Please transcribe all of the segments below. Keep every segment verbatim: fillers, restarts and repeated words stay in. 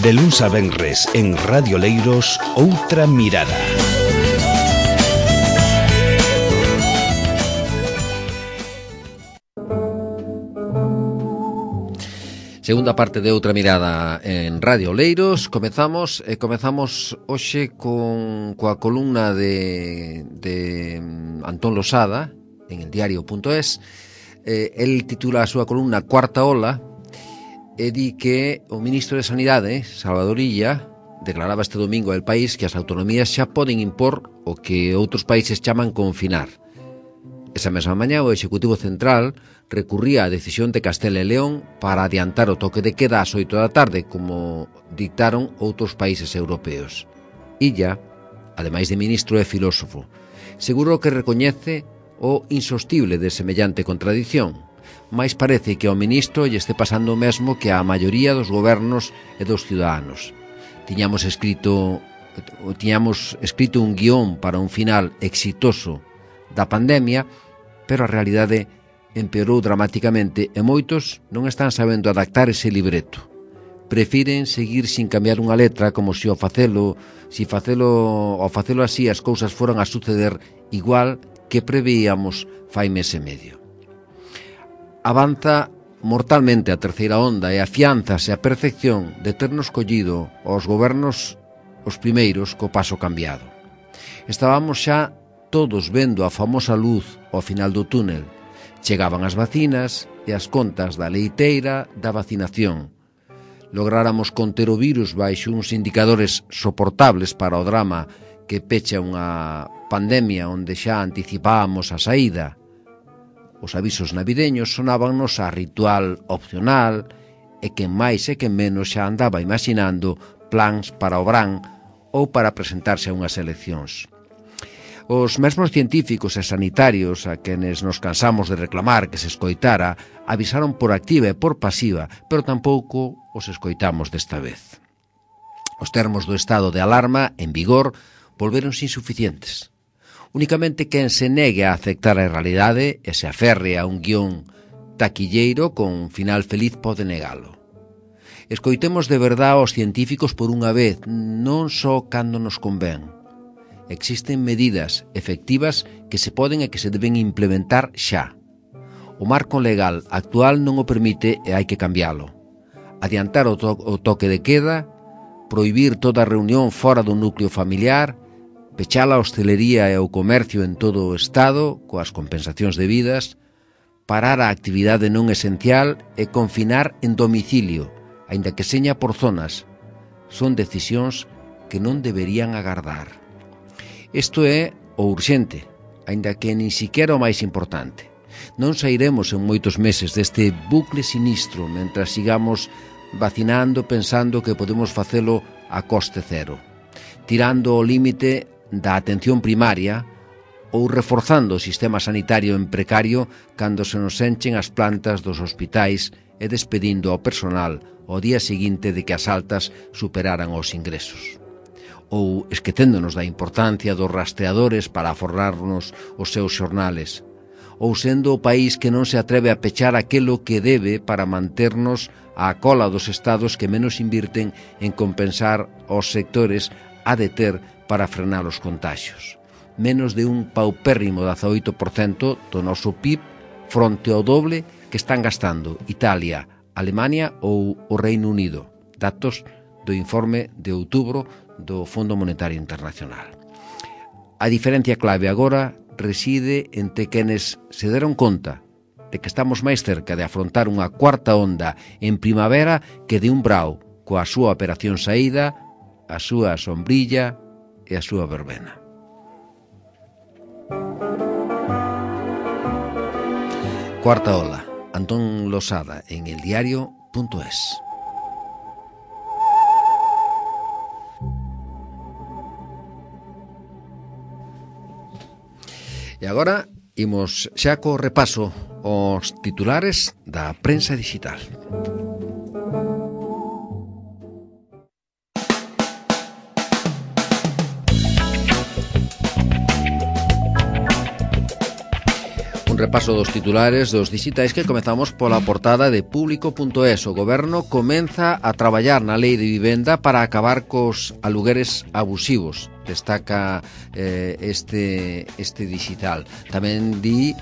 De luns a venres en Radio Leiros, Outra Mirada. Segunda parte de Outra Mirada en Radio Leiros. Comezamos e comezamos hoxe con coa columna de, de Antón Losada en el diario punto es. Eh, el titula a súa columna Cuarta Ola e di que o ministro de Sanidade, Salvador Illa, declaraba este domingo ao País que as autonomías xa poden impor o que outros países chaman confinar. Esa mesma mañá o Executivo Central recurría á decisión de Castela e León para adiantar o toque de queda ás oito da tarde, como dictaron outros países europeos. Illa, ademais de ministro e filósofo, seguro que recoñece o insostible de semellante contradición, mais parece que ao ministro lle este pasando o mesmo que á maioría dos gobernos e dos ciudadanos. Tiñamos escrito, tiñamos escrito un guión para un final exitoso da pandemia, pero a realidade empeorou dramaticamente e moitos non están sabendo adaptar ese libreto. Prefiren seguir sin cambiar unha letra como se ao facelo, si facelo, ao facelo así as cousas foran a suceder igual que preveíamos fai mes e medio. Avanza mortalmente a terceira onda e afiánzase a percepción de ternos collido aos gobernos os primeiros co paso cambiado. Estábamos xa todos vendo a famosa luz ao final do túnel. Chegaban as vacinas e as contas da leiteira da vacinación. Lográramos conter o virus baixo uns indicadores soportables para o drama que pecha unha pandemia onde xa anticipábamos a saída. Os avisos navideños sonábannos a ritual opcional e quen máis e quen menos xa andaba imaginando plans para o verán ou para presentarse a unhas eleccións. Os mesmos científicos e sanitarios a quenes nos cansamos de reclamar que se escoitara avisaron por activa e por pasiva, pero tampouco os escoitamos desta vez. Os termos do estado de alarma en vigor volveronse insuficientes. Únicamente quen se negue a aceptar a realidade e se aferre a un guión taquilleiro con final feliz pode negalo. Escoitemos de verdade aos científicos por unha vez, non só cando nos convén. Existen medidas efectivas que se poden e que se deben implementar xa. O marco legal actual non o permite e hai que cambialo. Adiantar o, to- o toque de queda, prohibir toda reunión fora do núcleo familiar, pechar a hostelería e o comercio en todo o Estado, coas compensacións debidas, parar a actividade non esencial e confinar en domicilio, aínda que seña por zonas. Son decisións que non deberían agardar. Isto é o urxente, aínda que nin siquiera o máis importante. Non sairemos en moitos meses deste bucle sinistro mentras sigamos vacinando pensando que podemos facelo a coste cero, tirando o límite da atención primaria ou reforzando o sistema sanitario en precario cando se nos enchen as plantas dos hospitais e despedindo ao personal ao día seguinte de que as altas superaran os ingresos. Ou esquecéndonos da importancia dos rastreadores para aforrarnos os seus xornales, ou sendo o país que non se atreve a pechar aquelo que debe para manternos á cola dos estados que menos invirten en compensar os sectores a deter para frenar os contagios. Menos de un paupérrimo dezaoito por cento do noso P I B fronte ao doble que están gastando Italia, Alemania ou o Reino Unido. Datos do informe de outubro do Fondo Monetario Internacional. A diferencia clave agora reside entre quenes se deron conta de que estamos máis cerca de afrontar unha cuarta onda en primavera que de un brao coa súa operación saída, a súa sombrilla e a súa verbena. Cuarta ola, Antón Losada en el diario punto es. E agora imos xa co repaso aos titulares da prensa digital. repaso dos titulares dos digitais que comezamos pola portada de público punto es. O Goberno comeza a traballar na lei de vivenda para acabar cos alugueres abusivos. Destaca eh, este, este digital. Tamén di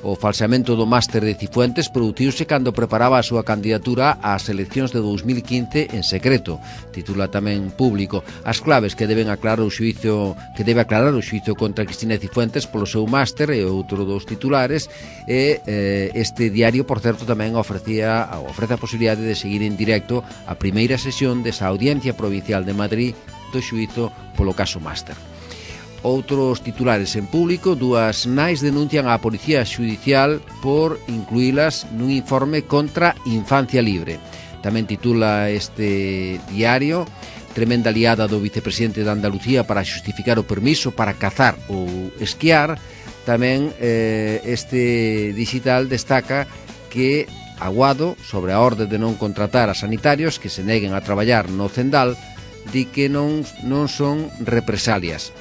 o falseamento do máster de Cifuentes produciuse cando preparaba a súa candidatura ás eleccións de dous mil quince en secreto. Titula tamén Público. As claves que deben aclarar o xuízo que debe aclarar o xuízo contra Cristina Cifuentes polo seu máster e outro dos titulares e eh, este diario, por certo, tamén ofrecía ofrece a posibilidade de seguir en directo a primeira sesión desa Audiencia Provincial de Madrid do xuízo polo caso máster. Outros titulares en Público: dúas nais denuncian á Policía Xudicial por incluílas nun informe contra Infancia Libre. Tamén titula este diario: tremenda liada do vicepresidente de Andalucía para xustificar o permiso para cazar ou esquiar. Tamén eh, este digital destaca que Aguado, sobre a orde de non contratar a sanitarios que se neguen a traballar no Cendal, di que non, non son represalias.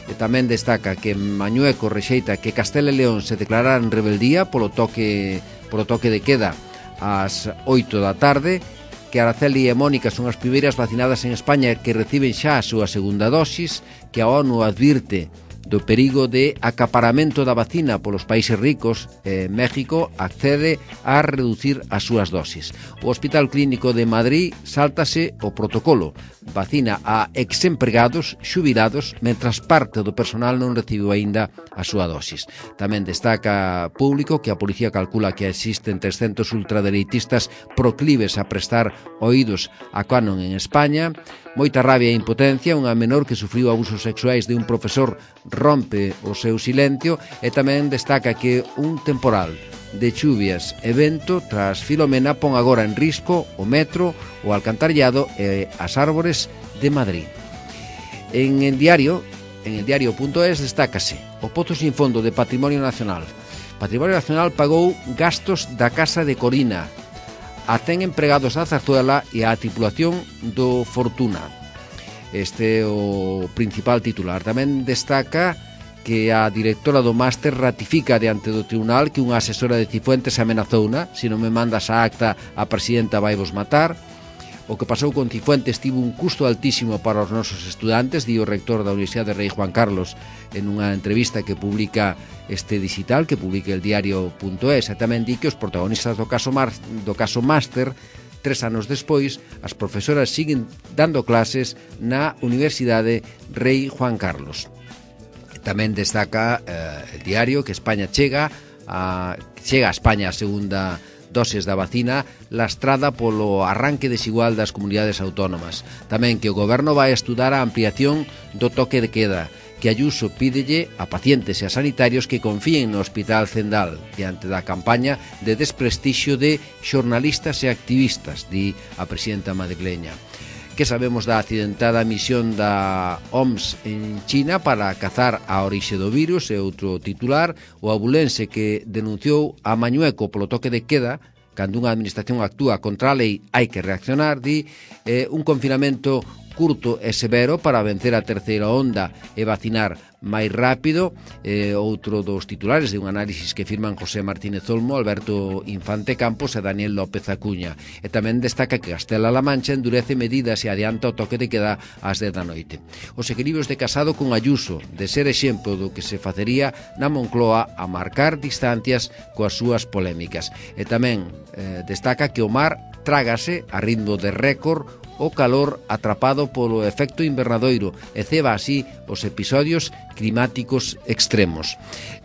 E tamén destaca que Mañueco rexeita que Castela e León se declarará en rebeldía polo toque, polo toque de queda ás oito da tarde, que Araceli e Mónica son as primeiras vacinadas en España que reciben xa a súa segunda dosis, que a ONU advirte do perigo de acaparamento da vacina polos países ricos. eh, México accede a reducir as súas dosis. O Hospital Clínico de Madrid sáltase o protocolo, vacina a exempregados xubilados, mentras parte do personal non recibiu aínda a súa dosis. Tamén destaca Público que a policía calcula que existen trescentos ultradereitistas proclives a prestar oídos a Canon en España. Moita rabia e impotencia, unha menor que sufriu abusos sexuais de un profesor rompe o seu silencio. E tamén destaca que un temporal de chuvias e vento tras Filomena pon agora en risco o metro, o alcantarillado e as árbores de Madrid. En el diario, en el diario punto es destácase o Pozo sin fondo de Patrimonio Nacional. Patrimonio Nacional pagou gastos da Casa de Corina a cen empregados da Zarzuela e a tripulación do Fortuna. Este é o principal titular. Tamén destaca que a directora do máster ratifica diante do tribunal que unha asesora de Cifuentes amenazouna: se non me mandas a acta, a presidenta vai vos matar. O que pasou con Cifuentes tivo un custo altísimo para os nosos estudantes, di o rector da Universidade Rei Juan Carlos en unha entrevista que publica este digital, que publica el diario punto es. E tamén di que os protagonistas do caso, mar, do caso máster, tres anos despois, as profesoras siguen dando clases na Universidade Rei Juan Carlos. Tamén destaca eh, el diario que España chega a, chega a España a segunda doses da vacina, lastrada polo arranque desigual das comunidades autónomas. Tamén que o Goberno vai estudar a ampliación do toque de queda, que Ayuso pídelle a pacientes e a sanitarios que confíen no Hospital Cendal diante da campaña de desprestixio de xornalistas e activistas, di a presidenta madrileña. Que sabemos da accidentada misión da O M S en China para cazar a orixe do virus? E outro titular: o abulense que denunciou a Mañueco polo toque de queda. Cando unha administración actúa contra a lei hai que reaccionar, di. eh, un confinamento curto e severo para vencer a terceira onda e vacinar máis rápido. eh, outro dos titulares de un análisis que firman José Martínez Olmo, Alberto Infante Campos e Daniel López Acuña. E tamén destaca que Castela-La Mancha endurece medidas e adianta o toque de queda ás dez da noite. Os equilibrios de Casado con Ayuso, de ser exemplo do que se facería na Moncloa a marcar distancias coas súas polémicas. E tamén eh, destaca que o mar trágase a ritmo de récord o calor atrapado polo efecto invernadoiro e ceba así os episodios climáticos extremos.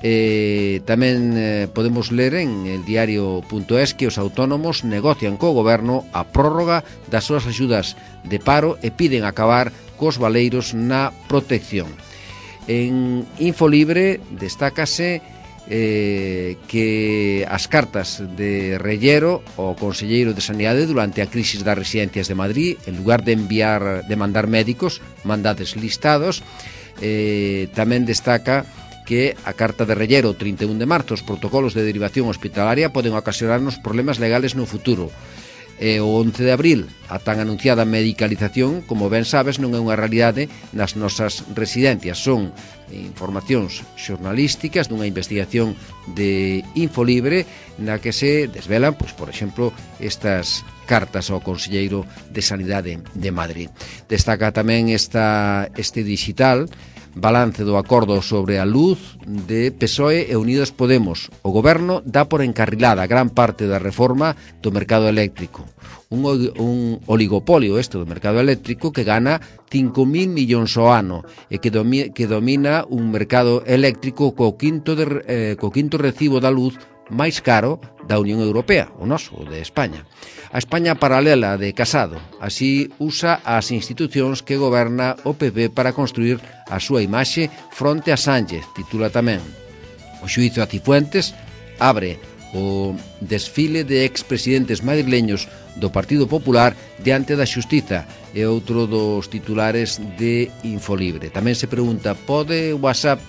Eh, tamén eh, podemos ler en el diario punto es que os autónomos negocian co goberno a prórroga das súas axudas de paro e piden acabar cos baleiros na protección. En Infolibre destácase Eh, que as cartas de Rellero ao conselleiro de Sanidade durante a crisis das residencias de Madrid, en lugar de enviar de mandar médicos, mandades listados. eh, tamén destaca que a carta de Rellero trinta e un de marzo: os protocolos de derivación hospitalaria poden ocasionarnos problemas legales no futuro. E o once de abril, a tan anunciada medicalización, como ben sabes, non é unha realidade nas nosas residencias. Son informacións xornalísticas dunha investigación de Infolibre na que se desvelan, pois, por exemplo, estas cartas ao Conselleiro de Sanidade de Madrid. Destaca tamén esta, este digital balance do acordo sobre a luz de P S O E e Unidos Podemos. O Goberno dá por encarrilada gran parte da reforma do mercado eléctrico. Un, un oligopolio este do mercado eléctrico que gana cinco mil millóns ao ano e que, domi, que domina un mercado eléctrico co quinto, de, eh, co quinto recibo da luz máis caro da Unión Europea, o noso, o de España. A España paralela de Casado, así usa as institucións que goberna o P P para construir a súa imaxe fronte a Sánchez, titula tamén. O xuízo a Cifuentes abre o desfile de expresidentes madrileños do Partido Popular diante da Xustiza, é outro dos titulares de Infolibre. Tamén se pregunta, pode WhatsApp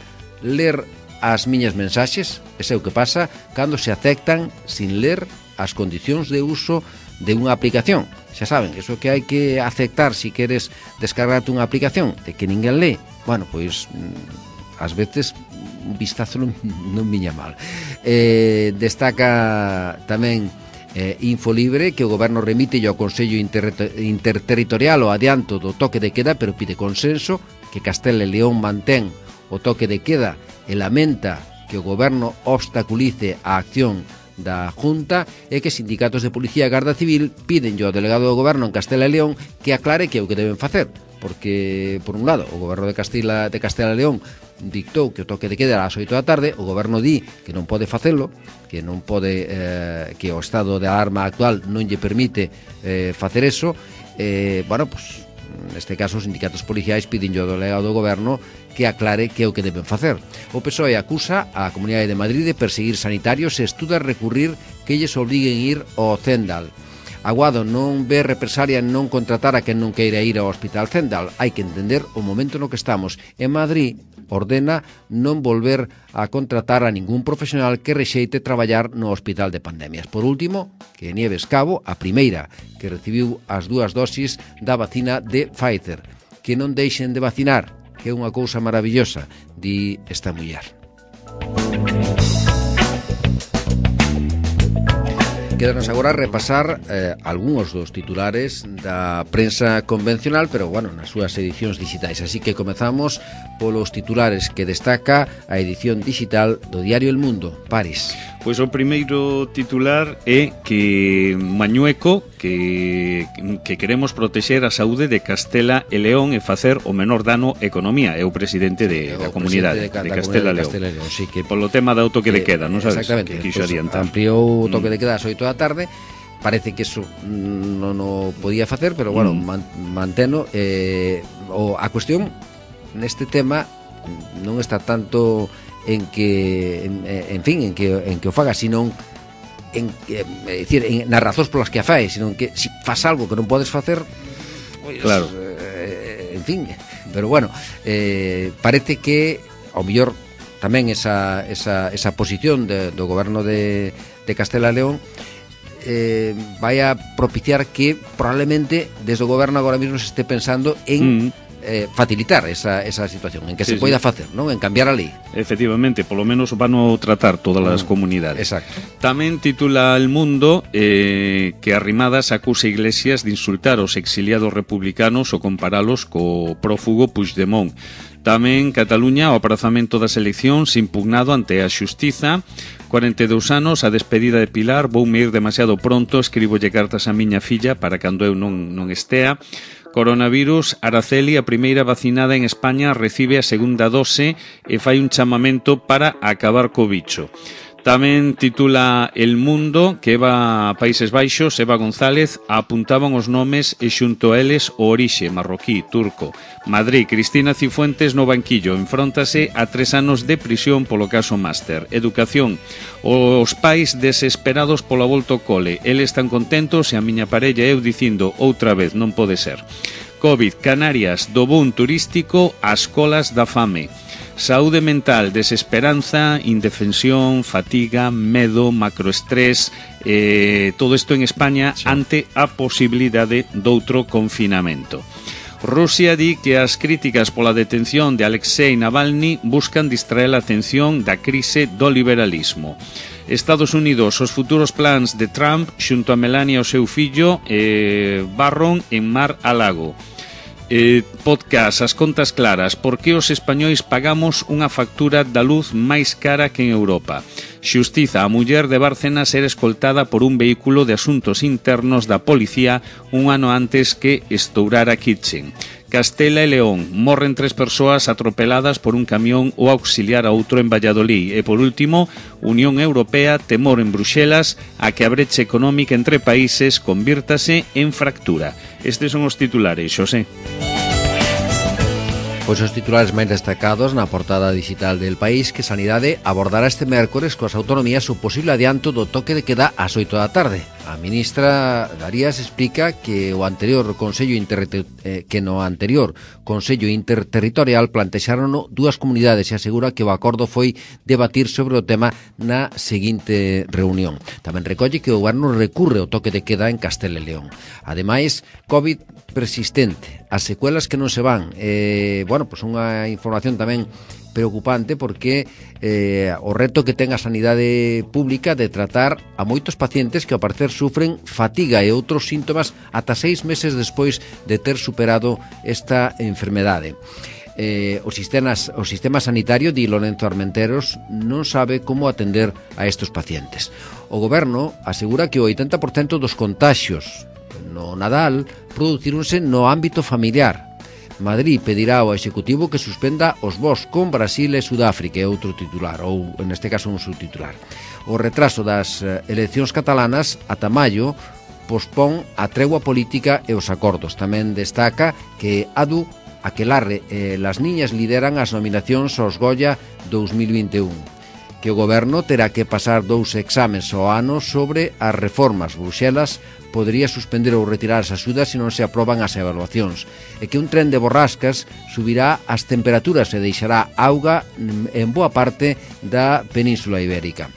ler as miñas mensaxes? Ese é o que pasa cando se aceptan sin ler as condicións de uso de unha aplicación. Xa saben, eso que hai que aceptar se queres descargarte unha aplicación, de que ninguén lee. Bueno, pois, ás veces un vistazo non, non viña mal. Eh, destaca tamén eh, Infolibre que o Goberno remite ao Consello Inter Interterritorial o adianto do toque de queda, pero pide consenso, que Castela e León mantén o toque de queda e lamenta que o Goberno obstaculice a acción da Junta e que sindicatos de Policía e Garda Civil piden ao delegado do Goberno en Castela e León que aclare que é o que deben facer, porque, por un lado, o Goberno de Castela, de Castela e León dictou que o toque de queda era ás oito da tarde, o Goberno di que non pode facelo, que non pode, eh, que o estado de alarma actual non lle permite eh, facer eso. Eh, bueno, pues, neste caso, os sindicatos policiais piden ao delegado do Goberno que aclare que é o que deben facer. O P S O E acusa a Comunidade de Madrid de perseguir sanitarios e estuda recurrir que lles obliguen ir ao Zendal. Aguado non ve represalia en non contratar a quen non queira ir ao Hospital Zendal. Hai que entender o momento no que estamos. En Madrid ordena non volver a contratar a ningún profesional que rexeite traballar no Hospital de Pandemias. Por último, que Nieves Cabo, a primeira que recibiu as dúas dosis da vacina de Pfizer. Que non deixen de vacinar, que é unha cousa maravillosa, di esta muller. Quédanos agora a repasar eh, algúns dos titulares da prensa convencional, pero, bueno, nas súas edicións digitais. Así que comezamos polos titulares que destaca a edición digital do diario El Mundo. Paris. Pois o primeiro titular é que Mañueco que, que queremos protexer a saúde de Castela e León e facer o menor dano á economía. É o presidente de, o da comunidade de, de Castela e León. Castela León, sí, que polo tema do toque que, de queda, non sabes? Exactamente. Que quixo pues, adiantar. Ampliou o toque de queda ás oito da tarde. Parece que eso non o podía facer, pero, bueno, mm. man, manteno. Eh, o, a cuestión neste tema non está tanto en que, en, en fin, en que, en que o faga, sino en, é dicir, en, nas razóns polas que a fai, sino en que se si faz algo que non podes facer, pues, claro. eh, en fin, pero bueno, eh, parece que ao mellor tamén esa, esa, esa posición de, do goberno de, de Castela e León eh, vai a propiciar que probablemente desde o goberno agora mesmo se esté pensando en mm. Eh, facilitar esa, esa situación, en que sí, se poida sí. facer, non? En cambiar a lei. Efectivamente, polo menos van a tratar todas as mm, comunidades. Exacto. Tamén titula El Mundo eh, que Arrimadas acusa Iglesias de insultar aos exiliados republicanos ou comparalos co prófugo Puigdemont. Tamén Cataluña, o aprazamento das eleccións impugnado ante a Xustiza. Cuarenta e dous anos, a despedida de Pilar, voume ir demasiado pronto, escribolle cartas a miña filla para cando eu non, non estea. Coronavirus, Araceli, a primeira vacinada en España, recibe a segunda dose e fai un chamamento para acabar co bicho. Tamén titula El Mundo que Eva Países Baixos, Eva González, apuntaban os nomes e xunto a eles o orixe, marroquí, turco. Madrid, Cristina Cifuentes no banquillo, enfróntase a tres anos de prisión polo caso Máster. Educación, os pais desesperados pola volta ao cole, eles están contentos e a miña parella eu dicindo outra vez, non pode ser. COVID, Canarias, do boom turístico ás colas da fame. Saúde mental, desesperanza, indefensión, fatiga, medo, macroestrés, eh, todo isto en España sí. ante a posibilidade doutro confinamento. Rusia di que as críticas pola detención de Alexei Navalny buscan distraer a atención da crise do liberalismo. Estados Unidos, os futuros plans de Trump xunto a Melania e o seu fillo eh, barron en Mar-a-Lago. Eh, podcast, as contas claras. Por que os españois pagamos unha factura da luz máis cara que en Europa? Xustiza, a muller de Bárcenas era escoltada por un vehículo de asuntos internos da policía un ano antes que estourara Kitchen. Castela e León, morren tres persoas atropeladas por un camión ou auxiliar a outro en Valladolid. E por último, Unión Europea, temor en Bruxelas a que a brecha económica entre países convírtase en fractura. Estes son os titulares, Xosé. Pois os titulares máis destacados na portada digital del País, que Sanidade abordará este mércores coas autonomías o posible adianto do toque de queda ás oito da tarde. A ministra Darías explica que o anterior Consello Inter... eh, que no anterior Consello Interterritorial plantexaron dúas comunidades e asegura que o acordo foi debatir sobre o tema na seguinte reunión. Tamén recolle que o goberno recurre ao toque de queda en Castela e León. Ademais, COVID persistente, as secuelas que non se van. Eh, bueno, pois unha información tamén preocupante porque eh, o reto que ten a sanidade pública de tratar a moitos pacientes que ao parecer sufren fatiga e outros síntomas ata seis meses despois de ter superado esta enfermedade. Eh, o, sistema, o sistema sanitario, di Lorenzo Armenteros, non sabe como atender a estes pacientes. O goberno asegura que o oitenta por cento dos contaxios no Nadal producíronse no ámbito familiar. Madrid pedirá ao Executivo que suspenda os voos con Brasil e Sudáfrica, é outro titular, ou neste caso un subtitular. O retraso das eleccións catalanas ata maio pospón a tregua política e os acordos. Tamén destaca que Adu Aquelarre e las niñas lideran as nominacións aos Goya dous mil vinte e un. Que o goberno terá que pasar dous exames ao ano sobre as reformas. Bruxelas podería suspender ou retirar as axudas se non se aproban as evaluacións, e que un tren de borrascas subirá as temperaturas e deixará auga en boa parte da Península Ibérica.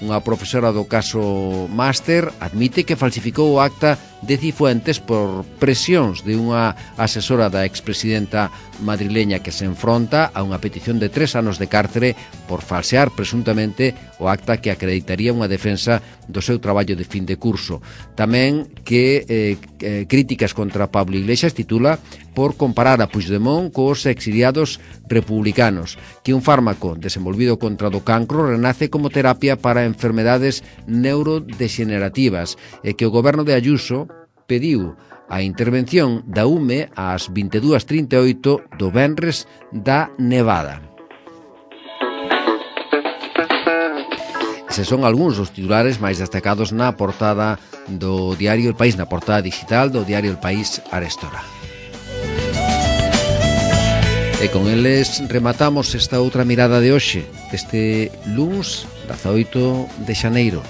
Unha profesora do caso Máster admite que falsificou o acta de Cifuentes por presións de unha asesora da expresidenta madrileña que se enfronta a unha petición de tres anos de cárcere por falsear presuntamente o acta que acreditaría unha defensa do seu traballo de fin de curso. Tamén que eh, eh, críticas contra Pablo Iglesias titula por comparar a Puigdemont cos exiliados republicanos, que un fármaco desenvolvido contra do cancro renace como terapia para enfermedades neurodegenerativas e que o goberno de Ayuso pediu a intervención da U M E ás vinte e dúas trinta e oito do venres da Nevada. Eses son algúns dos titulares máis destacados na portada do diario El País, na portada digital do diario El País arestora. E con eles rematamos esta outra mirada de hoxe, este luns dezaoito de xaneiro.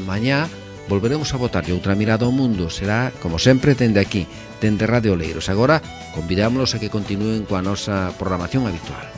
Mañá volveremos a botarlle outra mirada ao mundo. Será, como sempre, dende aquí, dende Radio Oleiros. Agora, convidámonos a que continúen coa nosa programación habitual.